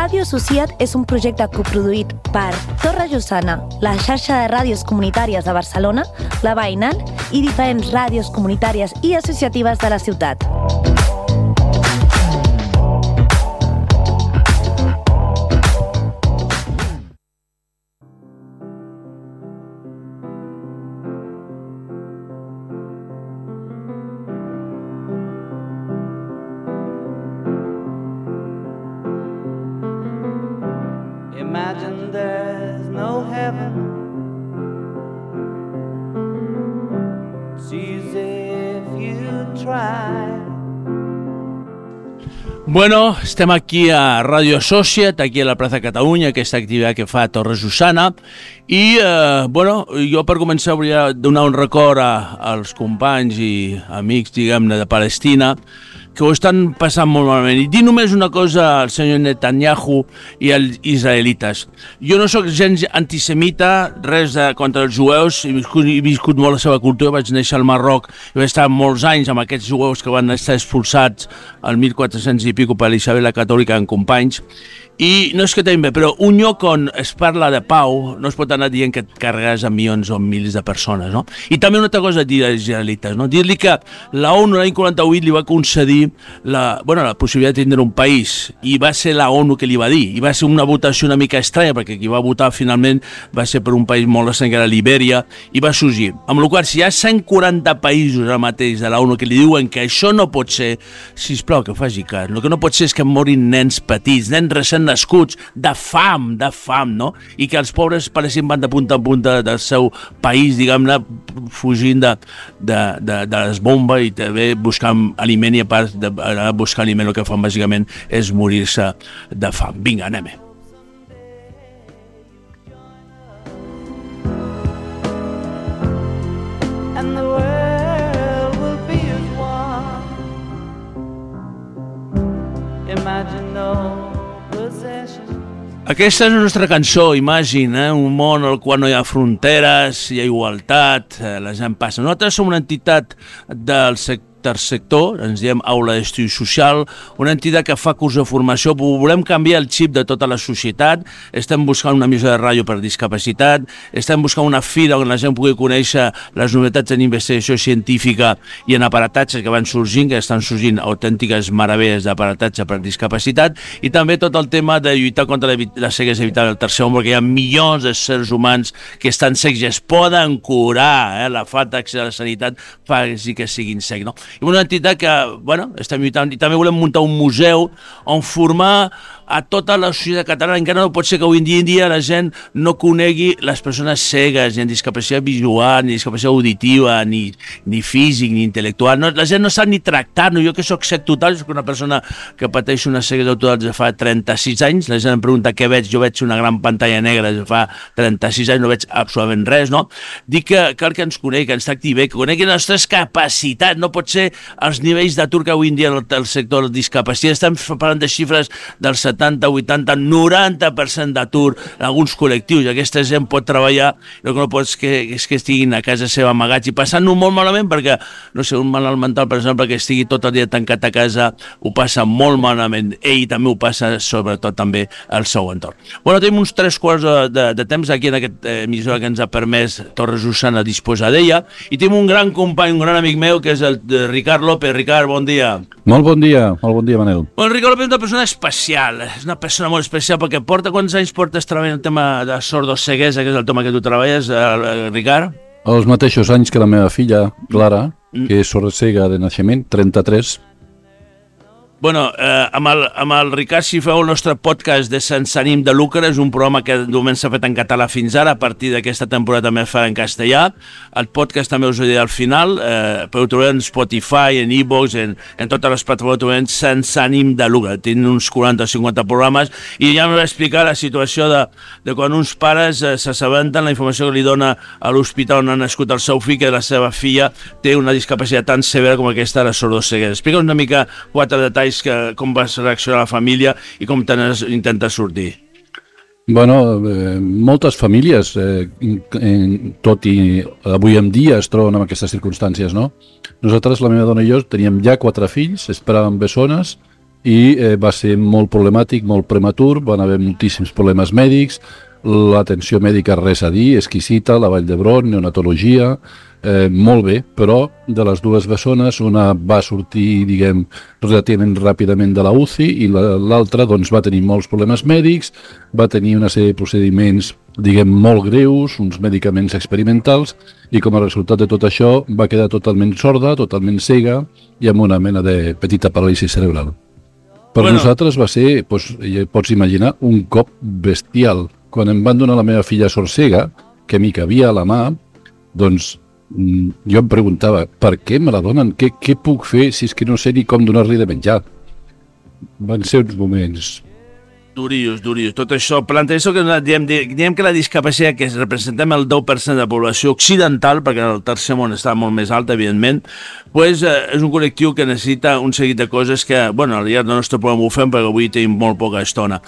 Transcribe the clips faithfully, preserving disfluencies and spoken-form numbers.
Ràdio Societat és un projecte coproduït per Torre Jussana, la xarxa de ràdios comunitàries de Barcelona, la Veïnal i diferents ràdios comunitàries i associatives de la ciutat. Imagine there's no heaven. It's easy if you try. Bueno, estem aquí a Ràdio Societat, aquí a la plaça Catalunya, aquesta activitat que fa Torre Jussana, i eh, bueno, jo per començar volia donar un record a, als companys i amics, diguem-ne, de Palestina, que ho estan passant molt malament. I dir només una cosa al senyor Netanyahu i als israelites. Jo no sóc gens antisemita, res de, contra els jueus, he viscut, he viscut molt la seva cultura, vaig néixer al Marroc i vaig estar molts anys amb aquests jueus que van estar expulsats al mil quatre-cents i pico per Isabel la Catòlica en companys. I no és que també, però un lloc on es parla de pau no es pot anar dient que et carregues a milions o milers de persones, no? I també una altra cosa a dir als israelites, no? Dir-li que la ONU l'any quaranta-vuit li va concedir la, bueno, la possibilitat de tindre un país, i va ser la ONU que li va dir, i va ser una votació una mica estranya, perquè qui va votar finalment va ser per un país molt estrany, que era Libèria, i va sorgir. Amb la qual cosa, si hi ha cent quaranta països ara mateix de la ONU que li diuen que això no pot ser, sisplau, que faci cas. El que no pot ser és que morin nens petits, nens recents nascuts, de fam, de fam, no? I que els pobres parecien van de punta en punta del seu país, diguem-ne, fugint de, de, de, de les bombes i també buscant aliment, i a part de buscar aliment el que fan bàsicament és morir-se de fam. Vinga, anem-hi. And the world will be as one. Imagine no possession. Aquesta és la nostra cançó, Imagine, eh? Un món al qual no hi ha fronteres, hi ha igualtat, eh, la gent passa. Nosaltres som una entitat del sector sector, ens diem Aula d'Estudi Social, una entitat que fa curs de formació, volem canviar el xip de tota la societat, estem buscant una emissora de ràdio per discapacitat, estem buscant una fira on la gent pugui conèixer les novetats en investigació científica i en aparatatges que van sorgint, que estan sorgint autèntiques meravelles d'aparatatge per discapacitat, i també tot el tema de lluitar contra la ceguesa evitant el tercer home, perquè hi ha milions de sers humans que estan cecs i es poden curar, eh? La falta d'accés a la sanitat fa que siguin cecs, no? I una entitat que, bueno, estem lluitant, i també volem muntar un museu on formar a tota la societat catalana. Encara no pot ser que avui en dia, en dia la gent no conegui les persones cegues, ni amb discapacitat visual, ni discapacitat auditiva, ni, ni físic, ni intel·lectual. No, la gent no sap ni tractar-no. Jo que soc cec total, soc una persona que pateix una ceguesa total des de fa trenta-sis anys. La gent em pregunta què veig, jo veig una gran pantalla negra des de fa trenta-sis anys, no veig absolutament res, no? Dic que cal que ens conegui, que ens tracti bé, que conegui les nostres capacitats. No pot ser els nivells d'atur que avui en dia el sector de discapacitat. Estem parlant de xifres del setanta, vuitanta, noranta per cent d'atur en alguns col·lectius, i aquesta gent pot treballar, el que no pot és que, és que estiguin a casa seva amagats i passant-ho molt malament, perquè, no sé, un malalt mental, per exemple, que estigui tot el dia tancat a casa, ho passa molt malament. Ell també ho passa, sobretot també al seu entorn. Bueno, tenim uns tres quarts de, de, de temps aquí en aquest eh, emissora que ens ha permès Torre Jussana disposar d'ella, i tenim un gran company, un gran amic meu, que és el Ricard López. Ricard, bon dia. Molt bon dia, molt bon dia, Manel. Bueno, Ricard López és una persona especial, és una persona molt especial, perquè porta, quants anys portes treballant el tema de sordoceguesa, que és el tema que tu treballes, eh, Ricard? Els mateixos anys que la meva filla, Clara, mm. que és sordocega de naixement, trenta-tres. Bueno, eh, amb, el, amb el Ricard, si feu el nostre podcast de Sense ànim de lucre, és un programa que de moment s'ha fet en català fins ara, a partir d'aquesta temporada també es farà en castellà. El podcast també us ho diré al final, eh, però ho trobareu en Spotify, en iVoox, en, en totes les plataformes, ho trobareu Sense ànim de lucre. Tenen uns quaranta o cinquanta programes, i ja em va explicar la situació de, de quan uns pares eh, s'assabenten la informació que li dona a l'hospital on ha nascut el seu fill, que la seva filla té una discapacitat tan severa com aquesta de la sordoceguesa. Explica'ns una mica quatre detalls, que, com vas reaccionar la família i com intentes sortir. Bueno, eh, moltes famílies, eh, en, tot i avui en dia es troben en aquestes circumstàncies, no? Nosaltres, la meva dona i jo, teníem ja quatre fills, esperàvem bessones, i eh, va ser molt problemàtic, molt prematur, van haver moltíssims problemes mèdics, l'atenció mèdica res a dir, exquisita, la Vall d'Hebron, neonatologia, eh, molt bé, però de les dues bessones una va sortir, diguem, relativament ràpidament de la U C I i l'altra doncs, va tenir molts problemes mèdics, va tenir una sèrie de procediments, diguem, molt greus, uns medicaments experimentals, i com a resultat de tot això va quedar totalment sorda, totalment cega i amb una mena de petita paràlisi cerebral. Per bueno. nosaltres va ser, doncs, pots imaginar, un cop bestial. Quan em van donar la meva filla sorcega, que m'hi cabia a la mà, doncs jo em preguntava, per què me la donen? Què, què puc fer si és que no sé ni com donar-li de menjar? Van ser uns moments... Durillos, durillos. Tot això, planta això que diem, diem que la discapacitat que representem el deu per cent de la població occidental, perquè el tercer món està molt més alt, evidentment, pues, eh, és un col·lectiu que necessita un seguit de coses que, bueno, al llarg del nostre programa ho fem, perquè avui tenim molt poca estona.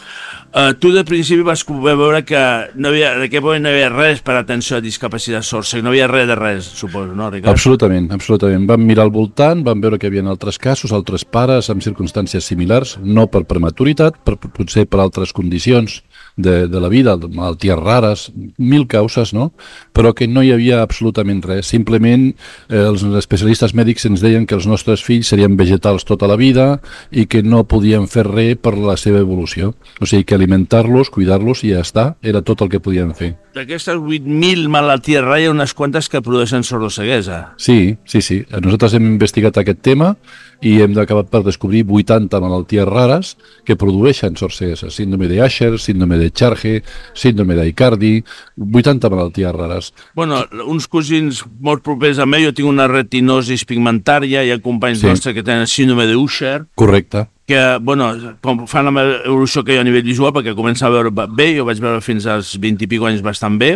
Uh, tu de principi vas veure que no havia, en aquest moment no hi havia res per atenció a discapacitat sorda, no hi havia res de res, suposo, no, Ricard? Absolutament, absolutament. Vam mirar al voltant, vam veure que hi havia altres casos, altres pares amb circumstàncies similars, no per prematuritat, per, potser per altres condicions de, de la vida, malalties rares, mil causes, no? Però que no hi havia absolutament res. Simplement eh, els especialistes mèdics ens deien que els nostres fills serien vegetals tota la vida i que no podien fer res per la seva evolució. O sigui que alimentar-los, cuidar-los i ja està, era tot el que podien fer. D'aquestes vuit mil malalties rares hi ha unes quantes que produeixen sordoceguesa. Sí, sí, sí. Nosaltres hem investigat aquest tema i hem acabat per descobrir vuitanta malalties rares que produeixen sordoceguesa. Síndrome de Usher, síndrome de Charge, síndrome d'Aicardi, vuitanta malalties rares. Bueno, uns cosins molt propers a mi, jo tinc una retinosis pigmentària, hi ha companys sí. nostres que tenen síndrome de Usher. Correcte. Que, bueno, com fan la evolució que hi ha a nivell visual, perquè comença a veure bé, jo vaig veure fins als vint i pico anys bastant bé,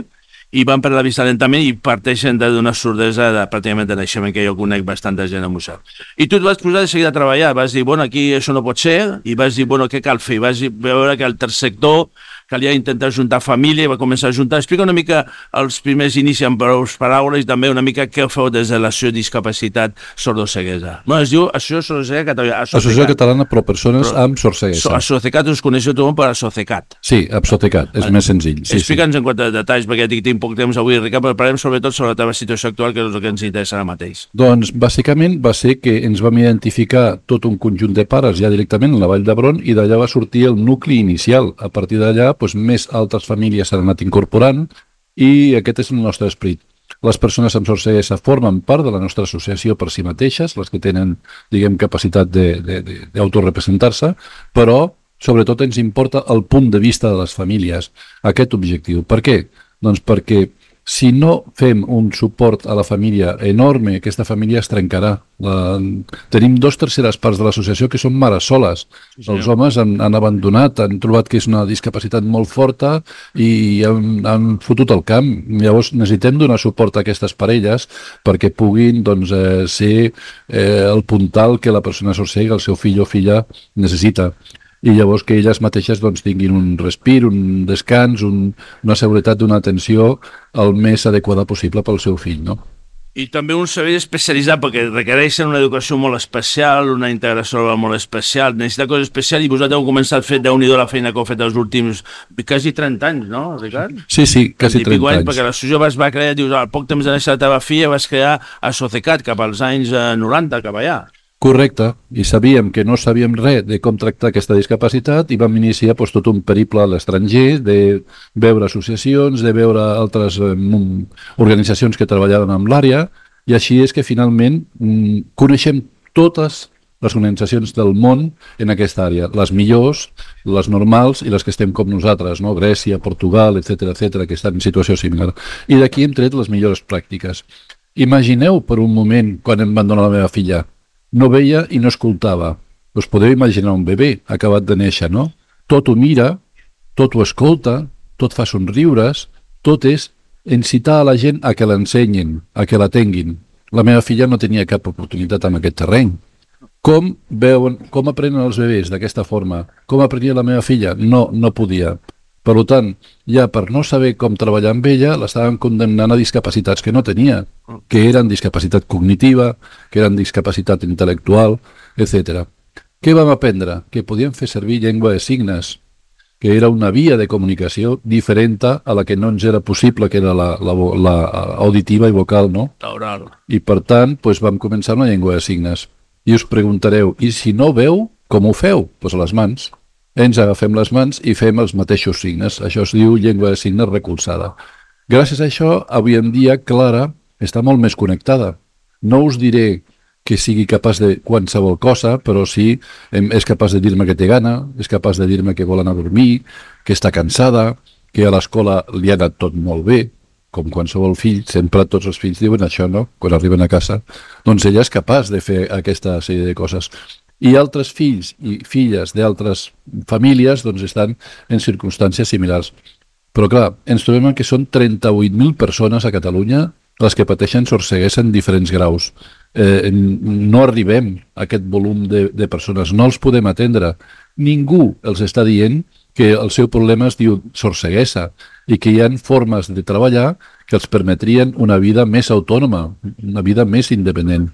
i van perdre la vista lentament i parteixen d'una sordesa de, pràcticament de naixement, que jo conec bastanta gent amb això. I tu et vas posar de seguida a treballar, vas dir, bueno, aquí això no pot ser, i vas dir, bueno, què cal fer? I vas veure que el tercer sector calia intentar juntar família i va començar a juntar. Explica una mica els primers inicis amb prou paraules i també una mica què feu des de l'Associació de Discapacitat Sordoceguesa. No, es diu Associació Sordoceguesa Catalana. Associació Catalana per Persones però, amb Sordoceguesa. Assocecat us coneixeu tot per Assocecat. Sí, Assocecat, és ah, més senzill. Sí, Explica'ns sí. en quant a detalls, perquè tinc poc temps avui, Ricard, però parlem sobretot sobre la teva situació actual, que és el que ens interessa ara mateix. Doncs, bàsicament, va ser que ens vam identificar tot un conjunt de pares ja directament a la Vall d'Hebron i d'allà va sortir el nucli inicial. A partir d'allà, doncs, més altres famílies s'han anat incorporant i aquest és el nostre esperit. Les persones amb sordoceguesa formen part de la nostra associació per si mateixes, les que tenen, diguem, capacitat d'autorepresentar-se, però sobretot ens importa el punt de vista de les famílies, aquest objectiu. Per què? Doncs perquè si no fem un suport a la família enorme, aquesta família es trencarà. La... Tenim dos terceres parts de l'associació que són mares soles. Sí, sí. Els homes han, han abandonat, han trobat que és una discapacitat molt forta i han, han fotut el camp. Llavors necessitem donar suport a aquestes parelles perquè puguin doncs, eh, ser eh, el puntal que la persona sorcega, el seu fill o filla necessita. I llavors que elles mateixes doncs, tinguin un respir, un descans, un, una seguretat d'una atenció el més adequada possible pel seu fill, no? I també un servei especialitzat, perquè requereixen una educació molt especial, una integració molt especial, necessita coses especials, i vosaltres heu començat a fer déu-n'hi-do la feina que heu fet els últims quasi trenta anys, no, Ricard? Sí, sí, quasi trenta anys. Perquè l'associació es va crear, dius, al poc temps de néixer la teva filla vas crear Assocecat cap als anys noranta, cap allà. Correcte, i sabíem que no sabíem res de com tractar aquesta discapacitat i vam iniciar doncs, tot un periple a l'estranger, de veure associacions, de veure altres eh, organitzacions que treballaven amb l'àrea, i així és que finalment mm, coneixem totes les organitzacions del món en aquesta àrea, les millors, les normals i les que estem com nosaltres, no? Grècia, Portugal, etcètera, etcètera, que estan en situació similar. I d'aquí hem tret les millors pràctiques. Imagineu per un moment quan em van donar la meva filla. No veia i no escoltava. Us podeu imaginar un bebè acabat de néixer, no? Tot ho mira, tot ho escolta, tot fa somriures, tot és incitar a la gent a que l'ensenyin, a que la tinguin. La meva filla no tenia cap oportunitat en aquest terreny. Com veuen, com aprenen els bebès d'aquesta forma? Com aprenia la meva filla? No, no podia. Per tant, ja per no saber com treballar amb ella, l'estaven condemnant a discapacitats que no tenia, que eren discapacitat cognitiva, que eren discapacitat intel·lectual, etcètera. Què vam aprendre? Que podíem fer servir llengua de signes, que era una via de comunicació diferent a la que no ens era possible, que era la, la, la auditiva i vocal, no? L'oral. I per tant, doncs vam començar amb la llengua de signes. I us preguntareu, i si no veu, com ho feu? Doncs pues a les mans. Ens agafem les mans i fem els mateixos signes. Això es diu llengua de signes recolzada. Gràcies a això, avui en dia, Clara està molt més connectada. No us diré que sigui capaç de qualsevol cosa, però sí és capaç de dir-me que té gana, és capaç de dir-me que vol anar a dormir, que està cansada, que a l'escola li ha anat tot molt bé, com qualsevol fill, sempre tots els fills diuen això, no?, quan arriben a casa. Doncs ella és capaç de fer aquesta sèrie de coses. I altres fills i filles d'altres famílies doncs estan en circumstàncies similars. Però clar, ens trobem que són trenta-vuit mil persones a Catalunya les que pateixen sordceguesa en diferents graus. Eh, no arribem a aquest volum de, de persones, no els podem atendre. Ningú els està dient que el seu problema es diu sordceguesa i que hi ha formes de treballar que els permetrien una vida més autònoma, una vida més independent.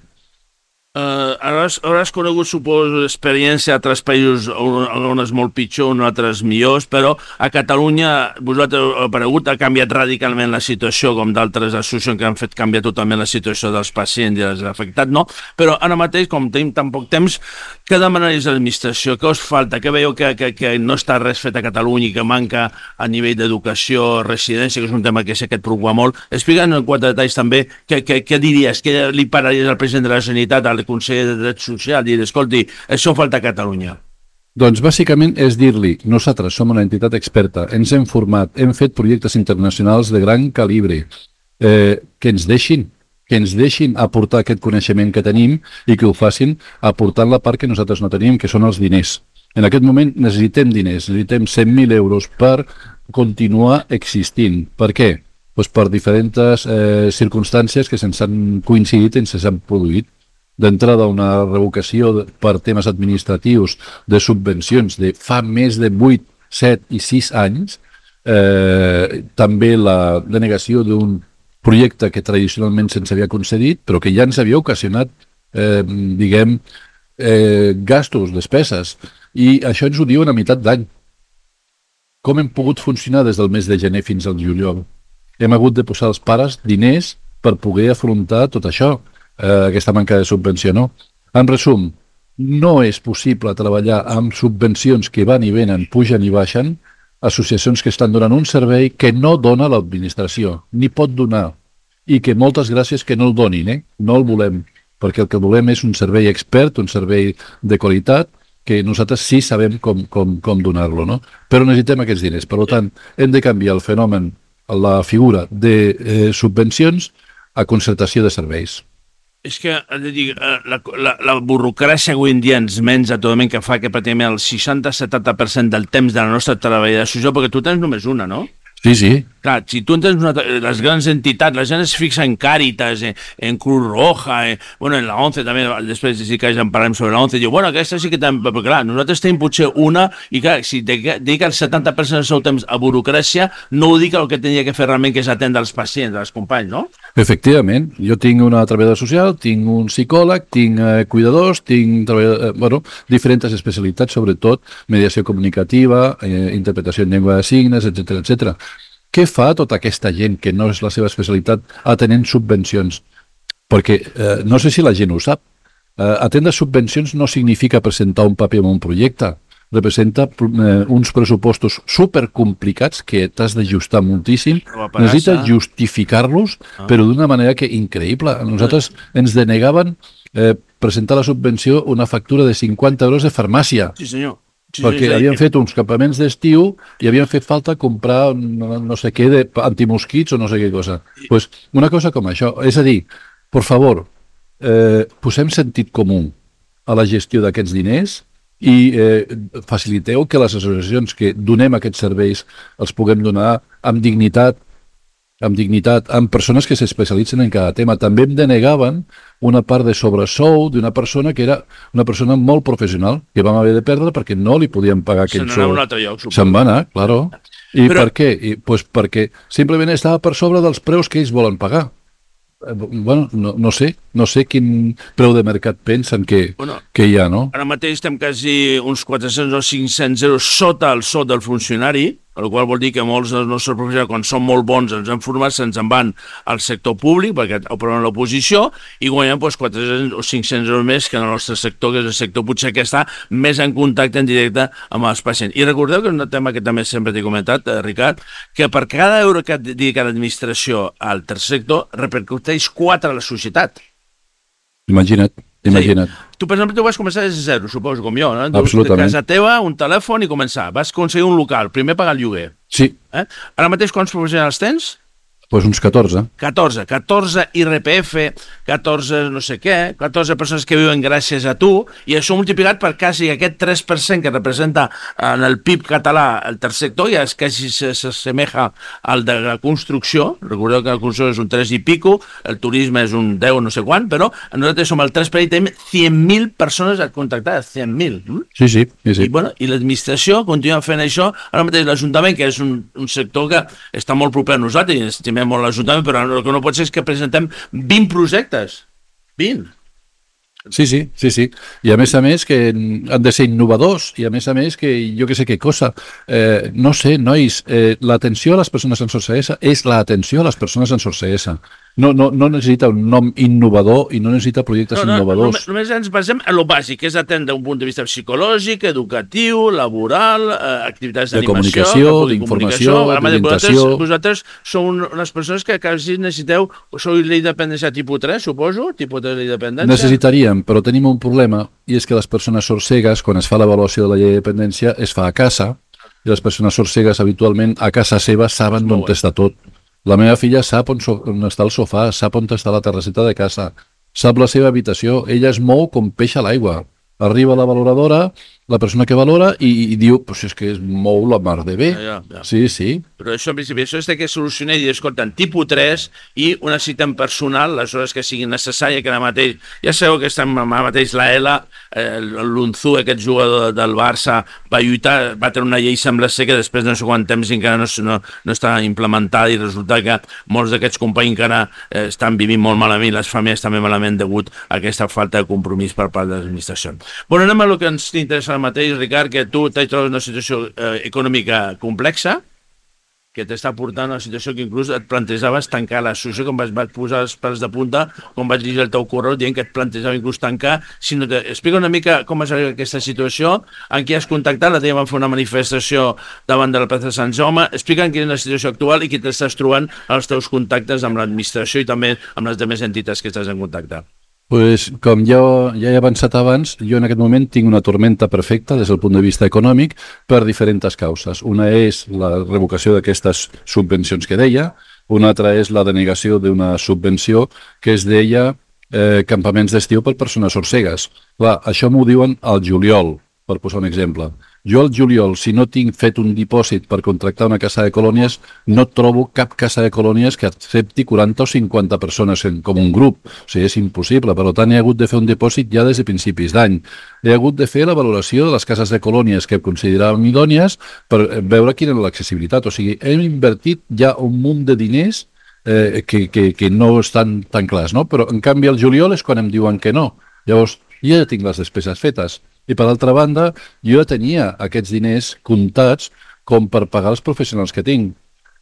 Uh, hauràs, hauràs conegut, suposo, experiència a altres països on, on és molt pitjor, on altres millors, però a Catalunya vosaltres heu aparegut, ha canviat radicalment la situació, com d'altres associacions que han fet canviar totalment la situació dels pacients i dels afectats, no? Però ara mateix, com tenim tan poc temps, què demanaries a l'administració? Què us falta? Què veieu que, que, que no està res fet a Catalunya i que manca a nivell d'educació, residència, que és un tema que sé que et preocupa molt? Explica'ns en quatre detalls també què, què, què diries, què li pararies al president de la Generalitat, al conseller de Drets Socials, dir, escolti, això falta a Catalunya. Doncs bàsicament és dir-li, nosaltres som una entitat experta, ens hem format, hem fet projectes internacionals de gran calibre, eh, que ens deixin, que ens deixin aportar aquest coneixement que tenim i que ho facin aportant la part que nosaltres no tenim, que són els diners. En aquest moment necessitem diners, necessitem cent mil euros per continuar existint. Per què? Pues per diferents eh, circumstàncies que se'ns han coincidit i se'ns han produït. D'entrada, una revocació per temes administratius de subvencions de fa més de vuit, set i sis anys, eh, també la denegació d'un projecte que tradicionalment se'ns havia concedit, però que ja ens havia ocasionat, eh, diguem, eh, gastos, despeses, i això ens ho diuen a meitat d'any. Com hem pogut funcionar des del mes de gener fins al juliol? Hem hagut de posar als pares diners per poder afrontar tot això. Eh, aquesta manca de subvenció, no? En resum, no és possible treballar amb subvencions que van i venen, pugen i baixen, associacions que estan donant un servei que no dona l'administració, ni pot donar, i que moltes gràcies que no el donin, eh? No el volem, perquè el que volem és un servei expert, un servei de qualitat, que nosaltres sí sabem com, com, com donar-lo, no? Però necessitem aquests diners. Per tant, hem de canviar el fenomen, la figura de eh, subvencions a concertació de serveis. És que, dir, la, la, la burocràcia avui en dia ens menja totalment, que fa que pràcticament el seixanta a setanta per cent del temps de la nostra treballadora, perquè tu tens només una, no? Sí, sí. Clar, si tu tens una, les grans entitats, la gent es fixa en Càritas, en, en Cruz Roja, en, bueno, en la ONCE també, després sí que en parlem sobre la ONCE, diu, bueno, aquesta sí que tenim, però clar, nosaltres tenim potser una, i clar, si dedica el setanta per cent del seu temps a burocràcia, no ho dic el que tenia que fer realment, que és atendre els pacients, els companys, no? Efectivament, jo tinc una treballadora social, tinc un psicòleg, tinc eh, cuidadors, tinc eh, bueno, diferents especialitats, sobretot mediació comunicativa, eh, interpretació en llengua de signes, etcètera, etcètera. Què fa tota aquesta gent que no és la seva especialitat atenent subvencions? Perquè eh, no sé si la gent ho sap. Eh, atendre subvencions no significa presentar un paper en un projecte. Representa eh, uns pressupostos supercomplicats que t'has d'ajustar moltíssim. Necessites justificar-los, ah. però d'una manera que increïble. A nosaltres ens denegaven eh, presentar la subvenció una factura de cinquanta euros de farmàcia. Sí, senyor. Sí, perquè sí, sí. havien fet uns campaments d'estiu i havien fet falta comprar no, no sé què de antimosquits o no sé què cosa. Pues una cosa com això, és a dir, por favor, eh, posem sentit comú a la gestió d'aquests diners i eh, faciliteu que les associacions que donem aquests serveis els puguem donar amb dignitat, amb dignitat, amb persones que s'especialitzen en cada tema. També em denegaven una part de sobresou d'una persona que era una persona molt professional, que vam haver de perdre perquè no li podien pagar aquell sou. Se'n va anar, claro. I Però... per què? I, pues perquè simplement estava per sobre dels preus que ells volen pagar. bueno, no, no sé, no sé quin preu de mercat pensen que, Bueno, que hi ha, no? ara mateix estem quasi uns quatre-cents o cinc-cents euros sota el sou del funcionari, el qual vol dir que molts dels nostres professionals, quan són molt bons, ens han format, se'ns en van al sector públic, perquè operen a l'oposició, i guanyen doncs, quatre-cents o cinc-cents euros més que en el nostre sector, que és el sector potser que està més en contacte en directe amb els pacients. I recordeu que és un tema que també sempre t'he comentat, eh, Ricard, que per cada euro que dedica l'administració al tercer sector, repercuteix quatre a la societat. Imagina't, imagina't. Sí. Tu, per exemple, tu vas començar des de zero, suposo, com jo, no? Absolutament. De casa teva, un telèfon i començar. Vas aconseguir un local, primer pagar el lloguer. Sí, Eh? Ara mateix quants professionals tens? doncs uns catorze. catorze. catorze I R P F, catorze no sé què, catorze persones que viuen gràcies a tu, i això multiplicat per quasi aquest tres per cent que representa en el P I B català el tercer sector, ja és quasi s'assemeja al de la construcció. Recordeu que la construcció és un tres i pico, el turisme és un deu no sé quant, però nosaltres som el tres per cent i tenim cent mil persones contactades, cent mil. Mm? Sí, sí, sí, sí. I, bueno, i l'administració continua fent això. Ara mateix l'Ajuntament, que és un, un sector que està molt proper a nosaltres, i estimem molt l'Ajuntament, però el que no pot ser és que presentem vint projectes. vint. Sí, sí, sí, sí. I a més a més que han de ser innovadors i a més a més que jo que sé què cosa. Eh, no sé, nois, eh, l'atenció a les persones amb sorceguesa és l'atenció a les persones amb sorceguesa. No, no, no necessita un nom innovador i no necessita projectes No, no, innovadors. només, només ens basem en lo bàsic, que és atendre un punt de vista psicològic, educatiu, laboral, eh, activitats De d'animació, comunicació, que pugui d'informació, comunicació. Ara mateix d'orientació. Vosaltres, vosaltres sou un- unes persones que quasi necessiteu, sou la independència tipus tres, suposo, tipus tres de independència. Necessitaríem, però tenim un problema i és que les persones sorcegues, quan es fa l'avaluació de la llei de dependència, es fa a casa i les persones sorcegues habitualment a casa seva saben d'on està tot. La meva filla sap on, so on està el sofà, sap on està la terrasseta de casa, sap la seva habitació, ella es mou com peix a l'aigua. Arriba la valoradora, la persona que valora, i, i diu, pues és que es mou la mar de bé. Ja, ja, ja. Sí, sí. Però això, en principi, això és de que solucionar i dir, escolta, tipus tres i una cita en personal, les hores que siguin necessàries, que ara mateix, ja sabeu que estem ara mateix la Ela, eh, l'Unzu, aquest jugador del Barça, va lluitar, va tenir una llei, sembla ser que després de no sé quant temps encara no, no, no està implementada, i resulta que molts d'aquests companys encara eh, estan vivint molt malament, les famílies també malament degut a aquesta falta de compromís per part de l'administració. Bueno, anem a el que ens interessa ara mateix, Ricard, que tu t'has trobat una situació eh, econòmica complexa, que t'està portant a una situació que inclús et plantejaves tancar l'associació, com vaig, vaig posar els pèls de punta, com vaig llegir el teu correu dient que et plantejava inclús tancar. Si no te... Explica una mica com has arribat a aquesta situació, en qui has contactat, la teva van fer una manifestació davant de la plaça de Sant Jaume. Explica'm quina és la situació actual i qui t'estàs trobant als teus contactes amb l'administració i també amb les altres entitats que estàs en contacte. Pues, com ja, ja he avançat abans, jo en aquest moment tinc una tormenta perfecta des del punt de vista econòmic per diferents causes. Una és la revocació d'aquestes subvencions que deia, una altra és la denegació d'una subvenció que es deia eh, campaments d'estiu per persones sorcegues. Clar, això m'ho diuen al juliol, per posar un exemple. Jo al juliol, si no tinc fet un dipòsit per contractar una casa de colònies, no trobo cap casa de colònies que accepti quaranta o cinquanta persones en, com un grup. O sigui, és impossible. Per tant, he hagut de fer un dipòsit ja des de principis d'any. He hagut de fer la valoració de les cases de colònies que consideràvem idònies per veure quina era l'accessibilitat. O sigui, hem invertit ja un munt de diners eh, que, que, que no estan tan clars, no? Però, en canvi, al juliol és quan em diuen que no. Llavors, jo ja tinc les despeses fetes. I, per altra banda, jo ja tenia aquests diners comptats com per pagar els professionals que tinc.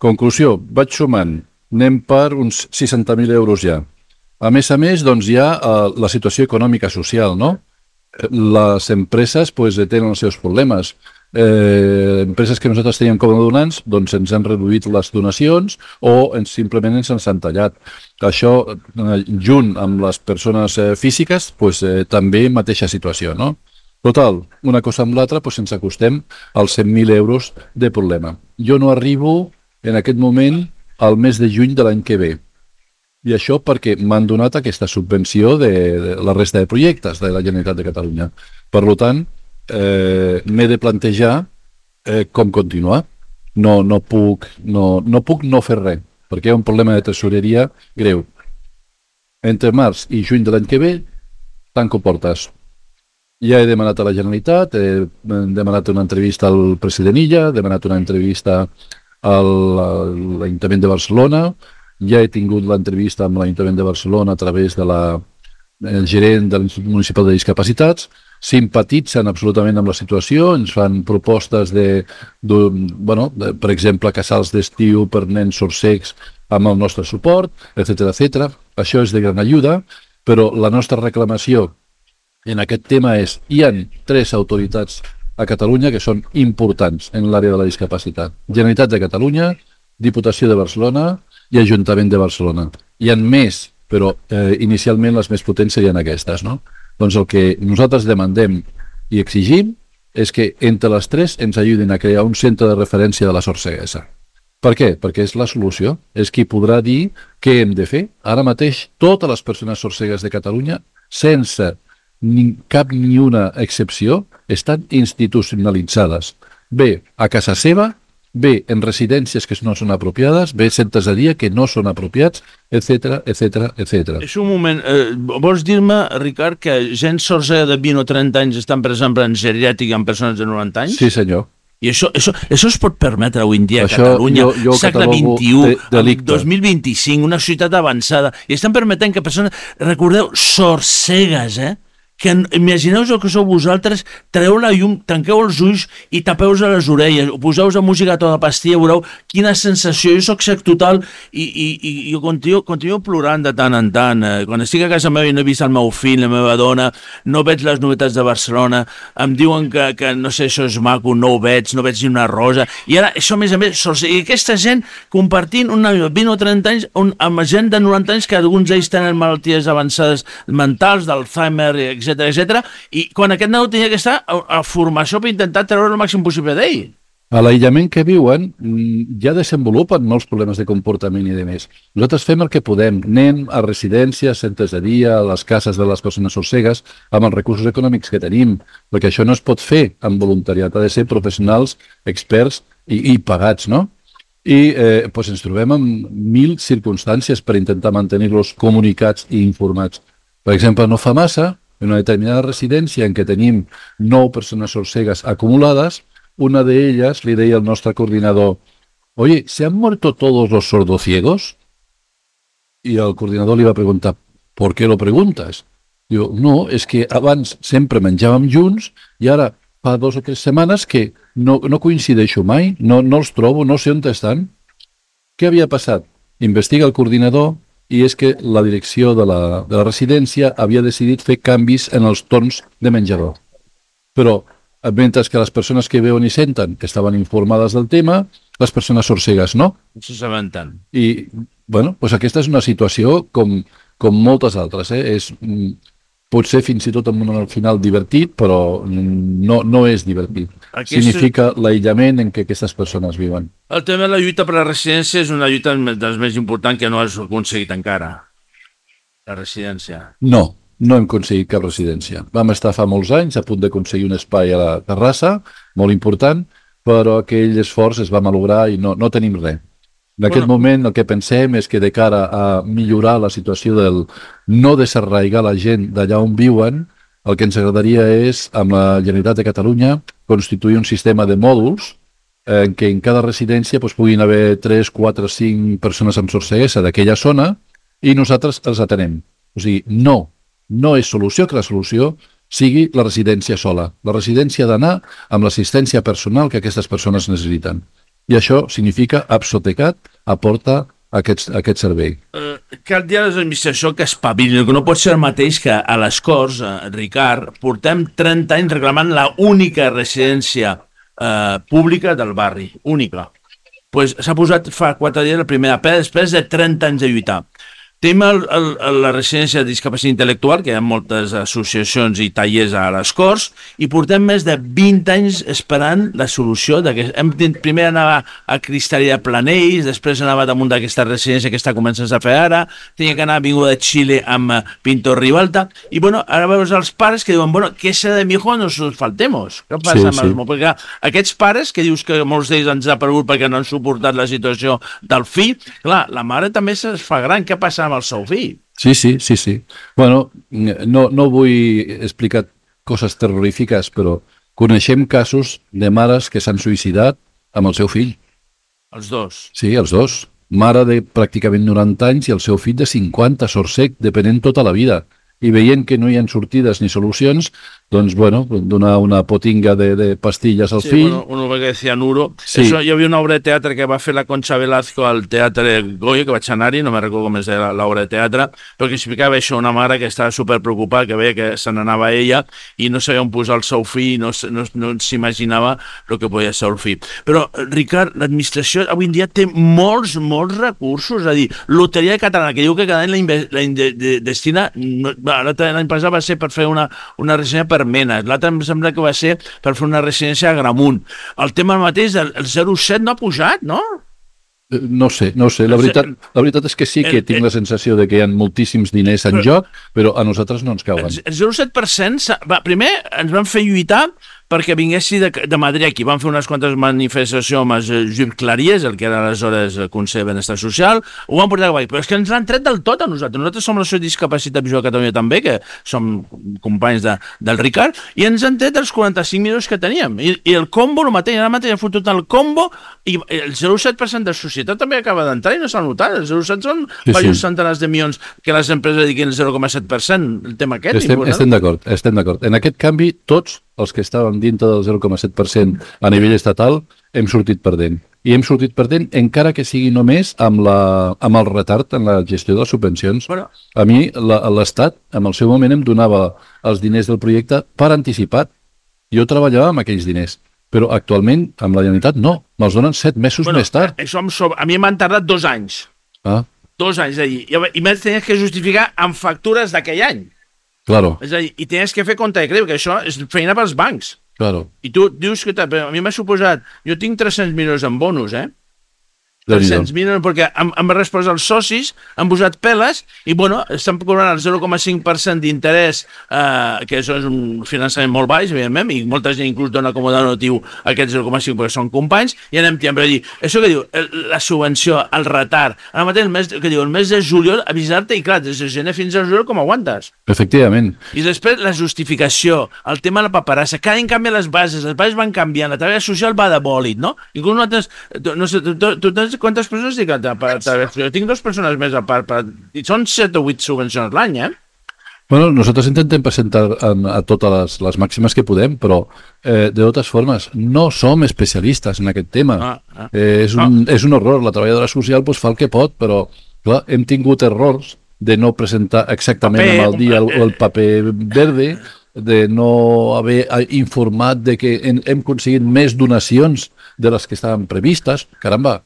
Conclusió, vaig sumant, anem per uns seixanta mil euros ja. A més a més, doncs hi ha eh, la situació econòmica social, no? Les empreses pues, tenen els seus problemes. Eh, empreses que nosaltres teníem com a donants, doncs ens han reduït les donacions o ens, simplement ens han tallat. Això, eh, junt amb les persones eh, físiques, pues, eh, també mateixa situació, no? Total, una cosa amb l'altra, doncs ens acostem als cent mil euros de problema. Jo no arribo en aquest moment al mes de juny de l'any que ve. I això perquè m'han donat aquesta subvenció de, de la resta de projectes de la Generalitat de Catalunya. Per tant, eh, m'he de plantejar eh, com continuar. No, no, puc, no, no puc no fer res, perquè hi ha un problema de tresoreria greu. Entre març i juny de l'any que ve, tanco portes. Ja he demanat a la Generalitat, he demanat una entrevista al president Illa, he demanat una entrevista a l'Ajuntament de Barcelona, ja he tingut l'entrevista amb l'Ajuntament de Barcelona a través de la, el gerent de l'Institut Municipal de Discapacitats, simpatitzen absolutament amb la situació, ens fan propostes de, de, bueno, de per exemple, casals d'estiu per nens sorcecs amb el nostre suport, etcètera, etcètera. Això és de gran ajuda, però la nostra reclamació en aquest tema és hi ha tres autoritats a Catalunya que són importants en l'àrea de la discapacitat. Generalitat de Catalunya, Diputació de Barcelona i Ajuntament de Barcelona. Hi ha més, però eh, inicialment les més potents serien aquestes, no? Doncs el que nosaltres demandem i exigim és que entre les tres ens ajudin a crear un centre de referència de la sord ceguesa. Per què? Perquè és la solució, és qui podrà dir què hem de fer. Ara mateix totes les persones sordcegues de Catalunya, sense ni, cap ni una excepció, estan institucionalitzades. Bé a casa seva, bé en residències que no són apropiades, bé centres de dia que no són apropiats, etcètera, etcètera, etcètera. És un moment, eh, vols dir-me, Ricard, que gent sordcega de vint o trenta anys estan, per exemple, en geriàtrica amb persones de noranta anys? Sí, senyor. I això, això, això es pot permetre avui en dia a això, Catalunya, jo, jo segle catalogo vint-i-u, de, delicte. dos mil vint-i-cinc, una societat avançada, i estan permetent que persones, recordeu, sordcegues, eh? Que imagineu el que sou vosaltres, treu la llum, tanqueu els ulls i tapeu a les orelles, o poseu la música a tota pastilla, veureu quina sensació. Jo soc cec total i, i, i jo continuo, continuo plorant de tant en tant. Eh, quan estic a casa meva i no he vist el meu fill, la meva dona, no veig les novetats de Barcelona, em diuen que, que no sé, això és maco, no ho veig, no veig ni una rosa, i ara això a més a més, i aquesta gent compartint una vint o trenta anys un, amb gent de noranta anys que alguns d'ells tenen malalties avançades mentals, d'Alzheimer, etcètera, etcètera, i quan aquest nen tenia que estar a, a formació per intentar treure el màxim possible d'ell. A l'aïllament que viuen ja desenvolupen molts problemes de comportament i de més. Nosaltres fem el que podem, anem a residències, centres de dia, a les cases de les persones sordcegues, amb els recursos econòmics que tenim, perquè això no es pot fer amb voluntariat, ha de ser professionals, experts i, i pagats, no? I eh, doncs ens trobem amb mil circumstàncies per intentar mantenir-los comunicats i informats. Per exemple, no fa massa, en una determinada residència en què tenim nou persones sordcegues acumulades, una de ellas le deia al nostre coordinador: oye, ¿se han muerto todos los sordociegos? Y el coordinador li va preguntar: ¿por qué lo preguntas? Diu, no, és que abans sempre menjàvem junts i ara fa dos o tres setmanes que no, no coincideixo mai, no, no els trobo, no sé on estan. Què havia passat? Investiga el coordinador i és que la direcció de la, de la residència havia decidit fer canvis en els torns de menjador. Però, mentre que les persones que veuen i senten estaven informades del tema, les persones sordcegues no. No se saben tant. I, bueno, doncs aquesta és una situació com, com moltes altres. Eh? És, pot ser fins i tot en un final divertit, però no, no és divertit. Aquest... Significa l'aïllament en què aquestes persones viuen. El tema de la lluita per la residència és una lluita dels més importants que no has aconseguit encara. La residència. No, no hem aconseguit cap residència. Vam estar fa molts anys a punt d'aconseguir un espai a la terrassa, molt important, però aquell esforç es va malograr i no, no tenim res. En aquest bueno. moment el que pensem és que de cara a millorar la situació del no desarraigar la gent d'allà on viuen, el que ens agradaria és, amb la Generalitat de Catalunya, constituir un sistema de mòduls en què en cada residència doncs, puguin haver tres, quatre, cinc persones amb sordceguesa d'aquella zona i nosaltres els atenem. O sigui, no, no és solució que la solució sigui la residència sola. La residència ha d'anar amb l'assistència personal que aquestes persones necessiten. I això significa Apsotecat aporta aquest, aquest servei. Uh, cal dir a l'administració que espavilin, que no pot ser el mateix que a les Corts, uh, Ricard, portem trenta anys reclamant la única residència uh, pública del barri, única. Pues s'ha posat fa quatre dies la primera pedra després de trenta anys de lluitar. Tenim el, el, la residència de discapacitat intel·lectual, que hi ha moltes associacions i tallers a les Corts, i portem més de vint anys esperant la solució. Hem, primer anava a Cristal·leria Planells, després anava damunt d'aquesta residència que està començant a fer ara, tenia que anar a Avinguda de Xile amb Pintor Ribalta, i bueno, ara veus els pares que diuen, bueno, què serà de mi hijo? Nos faltemos. Què passa sí, amb sí. Perquè aquests pares, que dius que molts d'ells ens ha perdut perquè no han suportat la situació del fill, clar, la mare també es fa gran. Què passa amb el seu fill? Sí, sí, sí, sí. Bueno, no, no vull explicar coses terrorífiques, però coneixem casos de mares que s'han suïcidat amb el seu fill. Els dos? Sí, els dos. mare de pràcticament noranta anys i el seu fill de cinquanta, sort-sec, depenent tota la vida. I veient que no hi ha sortides ni solucions, doncs, bueno, donar una potinga de, de pastilles al sí, fill. Bueno, uno que decía Nuro. Sí. Eso, hi havia una obra de teatre que va fer la Concha Velasco al Teatre Goya, que vaig anar-hi, no me recordo com es deia l'obra de teatre, però que explicava això, una mare que estava superpreocupada, que veia que se n'anava ella i no sabia on posar el seu fill, no, no, no s'imaginava el que podia ser el fill. Però, Ricard, l'administració avui en dia té molts, molts recursos, és a dir, Loteria Catalana, que diu que cada any la, inve- la inde- de- destina, no, l'any passat va ser per fer una, una residència per Menes, l'altre em sembla que va ser per fer una residència a Gramunt. El tema mateix del zero coma set no ha pujat, no? No sé, no sé. La veritat, la veritat és que sí que tinc la sensació de que hi ha moltíssims diners en joc, però a nosaltres no ens cauen. El zero coma set per cent, va, primer ens van fer lluitar perquè vinguessi de, de Madrid aquí. Van fer unes quantes manifestacions amb el Lluís Claries, el que era aleshores el Consell de Benestar Social, ho van portar a cavall, però és que ens l'han tret del tot a nosaltres. Nosaltres som l'associació de discapacitat visual a Catalunya també, que som companys de, del Ricard, i ens han tret els quaranta-cinc milions que teníem. I, i el combo, el mateix, ara mateix han fotut el combo, i el zero coma set per cent de societat també acaba d'entrar i no s'ha notat. El zero coma set són sí, diversos sí. centenars de milions que les empreses dediquin el zero coma set per cent, el tema aquest. Estem, estem d'acord, estem d'acord. En aquest canvi, tots els que estàvem dintre del zero coma set per cent a nivell estatal hem sortit perdent. I hem sortit perdent encara que sigui només amb, la, amb el retard en la gestió de les subvencions. Bueno. A mi l'Estat, en el seu moment, em donava els diners del projecte per anticipat. Jo treballava amb aquells diners, però actualment, amb la Generalitat, no. Me'ls donen set mesos bueno, més tard. Això sobre... A mi m'han tardat dos anys. Ah. Dos anys, és a dir, i m'he tenies que justificar amb factures d'aquell any. Claro. És a dir, i tenies que fer compte de creu, que això és feina pels bancs. Claro. I tu dius que a mi m'ha suposat, jo tinc tres-cents milions en bonus, eh? tres-cents milions, perquè han, han respost els socis, han posat peles i, bueno, estan cobrant el zero coma cinc per cent d'interès, eh, que això és un finançament molt baix, evidentment, i molta gent inclús dona com a donatiu aquest zero coma cinc perquè són companys, i anem tiant per dir, això que diu, la subvenció, el retard, ara mateix el mes, que diu, el mes de juliol, avisar-te, i clar, des de gener fins a juliol, com aguantes? Efectivament. I després la justificació, el tema de la paperassa, cada any canvia les bases, les bases van canviant, la taula social va de bòlit, no? Inclús nosaltres, no sé, tu, tu, tu quantes persones dic? Jo tinc dues persones més a part, per... i són set o vuit subvencions l'any, eh? Bueno, nosaltres intentem presentar a, a totes les, les màximes que podem, però eh, de totes formes no som especialistes en aquest tema. Ah, ah. Eh, és, un, ah. és un horror. La treballadora social pues, fa el que pot, però clar, hem tingut errors de no presentar exactament paper, amb el dia el, el paper verde, de no haver informat de que hem, hem aconseguit més donacions de les que estaven previstes. Caramba!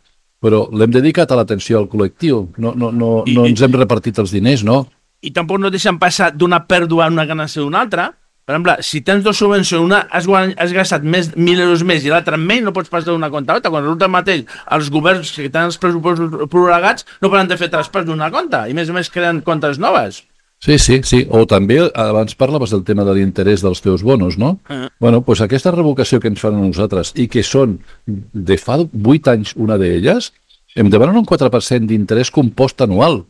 Però l'hem dedicat a l'atenció al col·lectiu, no, no, no, I, no ens hem repartit els diners, no? I tampoc no deixen passar d'una pèrdua a una ganancia d'una altra. Per exemple, si tens dues subvencions, una has, has gastat més, mil euros més i l'altra menys, no pots passar d'una compte a l'altra. Quan resulta mateix, els governs que tenen els pressupostos prorrogats no poden de fer traspàs d'una compte i més o més creen comptes noves. Sí, sí, sí. O també, abans parlaves del tema de l'interès dels teus bonos, no? Uh-huh. Bueno, doncs aquesta revocació que ens fan a nosaltres i que són de fa vuit anys una d'elles, em demanen un quatre per cent d'interès compost anual.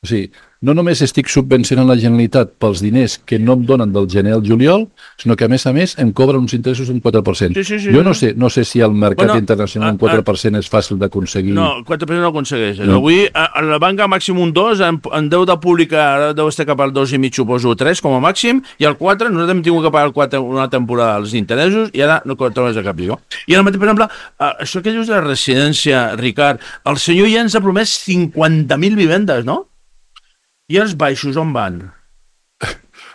O sigui, no només estic subvencionant la Generalitat pels diners que no em donen del gener al juliol, sinó que a més a més em cobren uns interessos un quatre per cent. Sí, sí, sí, jo no sé, no sé si al mercat bueno, internacional un quatre per cent a, és fàcil d'aconseguir. No, el quatre per cent no aconsegueix. No. Avui a, a la banca màxim un dos, en, en deute pública ara deu estar cap al dos i mig, suposo, tres com a màxim, i el quatre, nosaltres hem tingut que pagar el quatre una temporada els interessos i ara no trobes a cap lligo. I ara mateix, per exemple, això que dius de la residència, Ricard, el senyor ja ens ha promès cinquanta mil vivendes, no? I els baixos on van?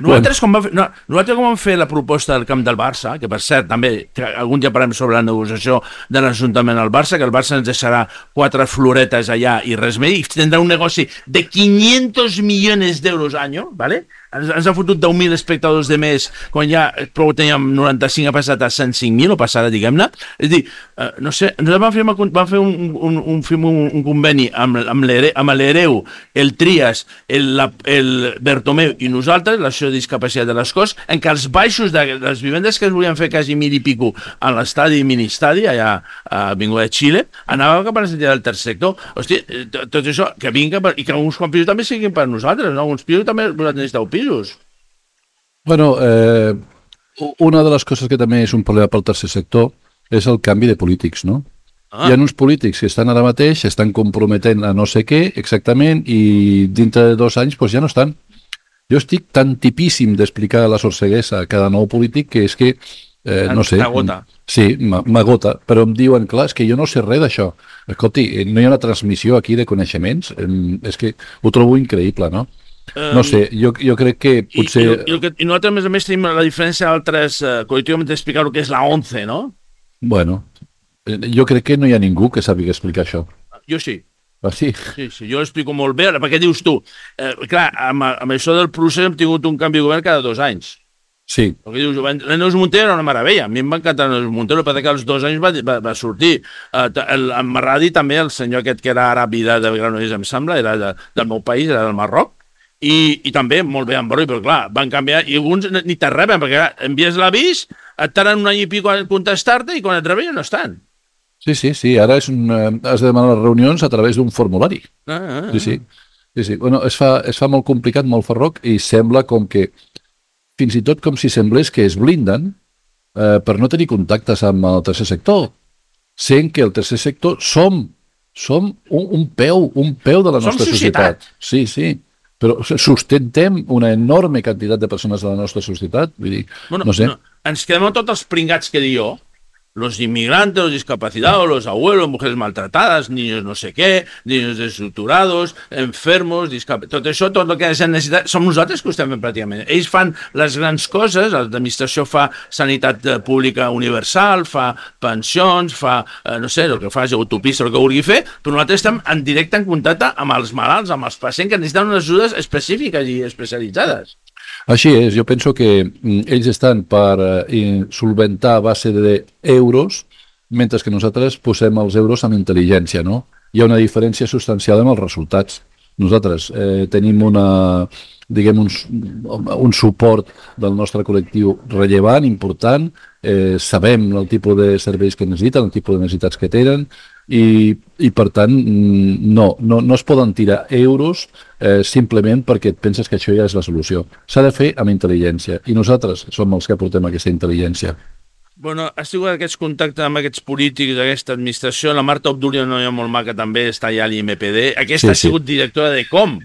Nosaltres, com va fer, no, nosaltres com vam fer la proposta del camp del Barça, que per cert també algun dia parlem sobre la negociació de l'Ajuntament al Barça, que el Barça ens deixarà quatre floretes allà i res més, i tindrà un negoci de quinientos millones d'euros any, ¿vale? Ens, ens ha fotut deu mil espectadors de més, quan ja prou teníem noranta-cinc, ha passat a cent cinc mil, o passarà, diguem-ne. És a dir, eh, no sé, nosaltres vam fer, vam fer un, un, un, un, un conveni amb, amb l'Hereu, el Trias, el, la, el Bertomeu i nosaltres, l'associació de discapacitat de les Corts, en què els baixos de les vivendes que es volien fer quasi mil i pico a l'estadi i ministadi, allà a Avinguda de Xile, anava cap a la sentida del tercer sector. Hosti, tot això, que vinga, per, i que uns pisos també siguin per nosaltres, no? Uns pisos també necessiteu pisos. Bueno, eh, una de les coses que també és un problema pel tercer sector és el canvi de polítics, no? Ah. Hi ha uns polítics que estan ara mateix, estan comprometent a no sé què exactament i dintre de dos anys pues, ja no estan. Jo estic tan tipíssim d'explicar la sorceguesa a cada nou polític que és que, eh, no sé... T'agota. Sí, m'agota, però em diuen, clar, és que jo no sé res d'això. Escolti, no hi ha una transmissió aquí de coneixements? És que ho trobo increïble, no? No sé, jo, jo crec que potser... I, i, i, i nosaltres, a més a més, tenim la diferència d'altres eh, col·lectivament d'explicar el que és la ONCE, no? Bueno, jo crec que no hi ha ningú que sàpiga explicar això. Jo sí. Ah, sí? Sí, sí, jo l'explico molt bé. Perquè dius tu, eh, clar, amb, amb això del procés hem tingut un canvi de govern cada dos anys. Sí. Perquè dius, la Neus Montero era una meravella. A mi em va encantar la Neus Montero, perquè que als dos anys va, va, va sortir. Eh, el, en Marradi també, el senyor aquest que era àrab i de, de Granollers, em sembla, era de, del meu país, era del Marroc. I, i també molt bé en Broi, però clar, van canviar, i alguns ni te reben, perquè clar, envies l'avís, et tarden un any i pico a contestar-te, i quan et reben ja no estan. Sí, sí, sí, ara és un, has de demanar les reunions a través d'un formulari. Ah, ah, ah. Sí, sí. sí, sí. Bueno, es fa, es fa molt complicat, molt farroc, i sembla com que, fins i tot com si semblés que es blinden eh, per no tenir contactes amb el tercer sector, sent que el tercer sector som, som un, un peu, un peu de la Som nostra societat. societat. Sí, sí. Però sustentem una enorme quantitat de persones de la nostra societat. Vull dir, Bueno, no sé. no, ens quedem amb tots els pringats que dic jo, los inmigrantes, los discapacitados, los abuelos, mujeres maltratadas, niños no sé qué, niños desestructurados, enfermos, discap... tot això, tot el que és necessitat, som nosaltres que ho estem fent pràcticament. Ells fan les grans coses, l'administració fa sanitat pública universal, fa pensions, fa, eh, no sé, el que fa és autopista, el que vulgui fer, però nosaltres estem en directe en contacte amb els malalts, amb els pacients que necessiten unes ajudes específiques i especialitzades. Així és, jo penso que mm, ells estan per eh, solventar a base d'euros, mentre que nosaltres posem els euros amb intel·ligència, no? Hi ha una diferència substancial amb els resultats. Nosaltres eh, tenim una, diguem, un, un suport del nostre col·lectiu rellevant, important, eh, sabem el tipus de serveis que necessiten, el tipus de necessitats que tenen, i, i per tant no, no, no es poden tirar euros eh, simplement perquè et penses que això ja és la solució. S'ha de fer amb intel·ligència i nosaltres som els que aportem aquesta intel·ligència. Bueno, has tingut aquests contactes amb aquests polítics d'aquesta administració. La Marta Obdúlia, no hi ha molt maca, també està allà a l'I M P D. Aquesta Sí, ha sigut directora de Com.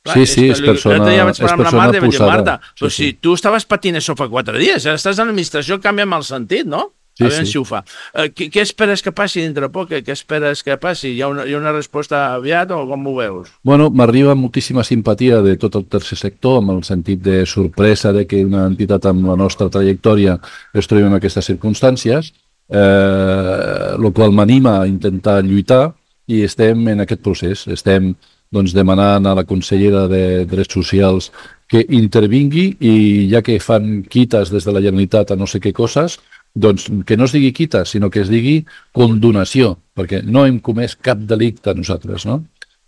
Clar, Sí, sí, és que persona- l'altre dia vaig és parlar amb la persona Marta i vaig dir, posada. Marta, però Sí, si sí. tu estaves patint això fa quatre dies, ara estàs a l'administració, canvia amb el sentit, no? Sí, a veure sí. si ho fa. Eh, què, què esperes que passi dintre poc? Què, què esperes que passi? Hi ha, una, hi ha una resposta aviat o com ho veus? Bueno, m'arriba moltíssima simpatia de tot el tercer sector, amb el sentit de sorpresa de que una entitat amb la nostra trajectòria es trobi en aquestes circumstàncies, eh, el qual m'anima a intentar lluitar i estem en aquest procés. Estem doncs, demanant a la consellera de Drets Socials que intervingui i ja que fan quites des de la Generalitat a no sé què coses, doncs que no es digui quita, sinó que es digui condonació, perquè no hem comès cap delicte nosaltres, no?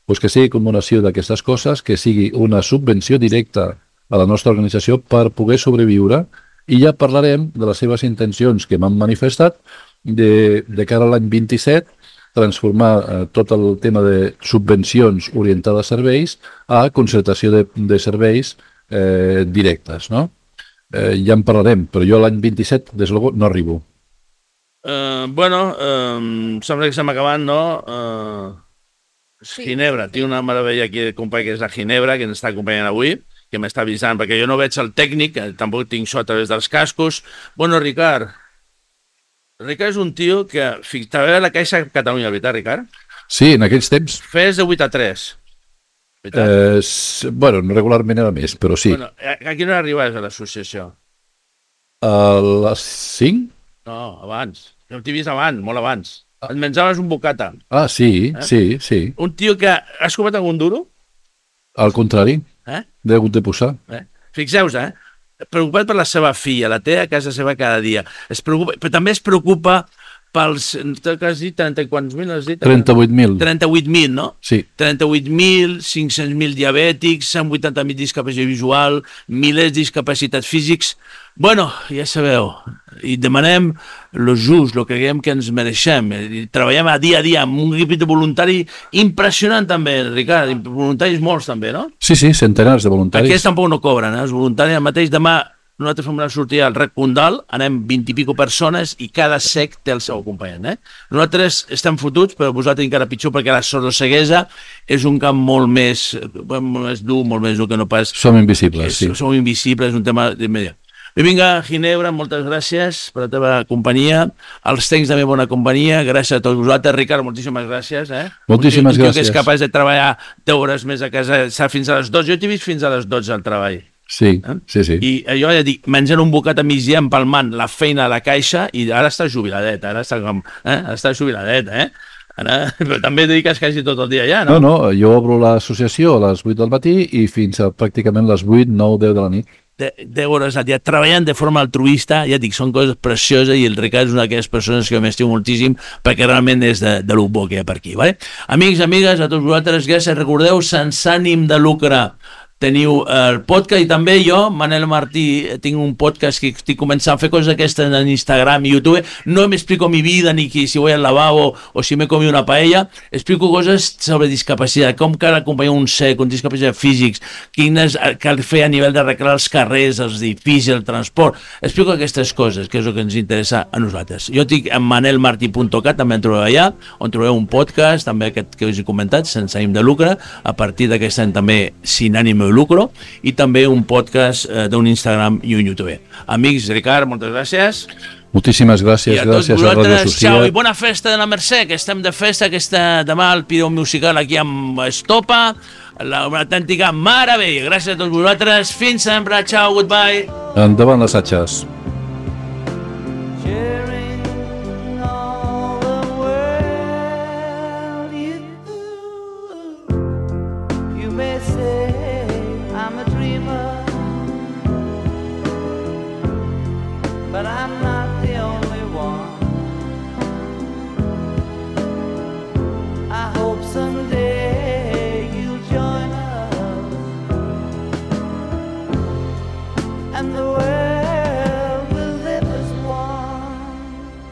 Pues que sigui condonació d'aquestes coses, que sigui una subvenció directa a la nostra organització per poder sobreviure i ja parlarem de les seves intencions que m'han manifestat de, de cara a l'any vint-i-set, transformar eh, tot el tema de subvencions orientades a serveis a concertació de, de serveis eh, directes, no? Eh, ja en parlarem, però jo l'any vint-i-set, des de luego, no arribo. Uh, bueno, uh, sembla que estem acabant, no? Uh, sí. Ginebra, tinc una meravella aquí de company que és la Ginebra, que ens està acompanyant avui, que m'està avisant, perquè jo no veig el tècnic, que tampoc tinc això a través dels cascos. Bueno, Ricard, Ricard és un tio que també a la Caixa Catalunya, veritat, Ricard? Sí, en aquells temps, Fes de vuit a tres. eh, s- bueno, regularment era més, però sí. Bueno, a, a quina hora arribaves a l'associació? A les cinc? No, abans. Jo t'he vist abans, molt abans. Et menjaves un bocata. Ah, sí, Eh? sí, sí. Un tio que... Has comet algun duro? Al contrari, Eh? l'he hagut de posar. Eh? Fixeu-vos, eh? Preocupat per la seva filla, la té a casa seva cada dia. Es preocupa, però també es preocupa pels... Que has dit? trenta i quants mil has dit? trenta-vuit mil. trenta-vuit mil, no? Sí. trenta-vuit mil, cinc-cents mil diabètics, cent vuitanta mil discapacitat visual, milers de discapacitats físics. Bueno, ja sabeu, i demanem lo just, el que creiem que ens mereixem. I treballem a dia a dia amb un equip de voluntari impressionant també, Ricard, voluntaris molts també, no? Sí, sí, centenars de voluntaris. Aquests tampoc no cobren, eh? Els voluntaris el mateix demà nosaltres fem una sortida al Rec Condal, anem vint i pico persones i cada sec té el seu acompanyant. Eh? Nosaltres estem fotuts, però vosaltres encara pitjor perquè la sordoceguesa és un camp molt més, molt més dur, molt més dur que no pas... Som invisibles, és, sí. Som invisibles, és un tema d'immediat. Vinga, Ginebra, moltes gràcies per la teva companyia. Els tens també bona companyia. Gràcies a tots vosaltres. Ricard, moltíssimes gràcies. Eh? Moltíssimes un tio, un tio gràcies. que és capaç de treballar deu hores més a casa, fins a les dotze. Jo t'he vist fins a les dotze al treball. Sí, eh? sí, sí. I jo ja dic, menjant un bocat a migdia, empalmant la feina a la caixa, i ara està jubiladet, ara està com... Eh? Ara està jubiladet, eh? Ara... Però també dediques quasi tot el dia ja, no? No, no, jo obro l'associació a les vuit del matí i fins a pràcticament les vuit, nou, deu de la nit. deu hores al dia, treballant de forma altruista, ja dic, són coses precioses i el Ricard és una d'aquelles persones que m'estimo moltíssim perquè realment és de, de lo bo que hi ha per aquí. Vale? Amics, amigues, a tots vosaltres, gràcies, recordeu, sense ànim de lucre, teniu el podcast, i també jo, Manel Martí, tinc un podcast que estic començant a fer coses aquestes en Instagram i YouTube. No m'explico mi vida, ni que si voy al lavabo o si m'he comido una paella. Explico coses sobre discapacitat, com cal acompanyar un cec, un discapacitat físics, quines cal fer a nivell d'arreglar els carrers, els edificis, el transport. Explico aquestes coses, que és el que ens interessa a nosaltres. Jo estic en manel martí punt cat, també en trobeu allà, on trobeu un podcast, també aquest que us he comentat, sense ànim de lucre, a partir d'aquest any també sin ànim de lucro, i també un podcast eh, d'un Instagram i un YouTube. Amics, Ricard, moltes gràcies. Moltíssimes gràcies, I a tots gràcies a Ràdio vosaltres, Social. xau, i bona festa de la Mercè, que estem de festa, aquesta demà al Pireu Musical aquí amb Estopa, la, una autèntica meravella. Gràcies a tots vosaltres, fins sempre, xau, goodbye. Endavant les atxes. Sharing all the world, you, you may say I'm a dreamer, but I'm not the only one. I hope someday you'll join us, and the world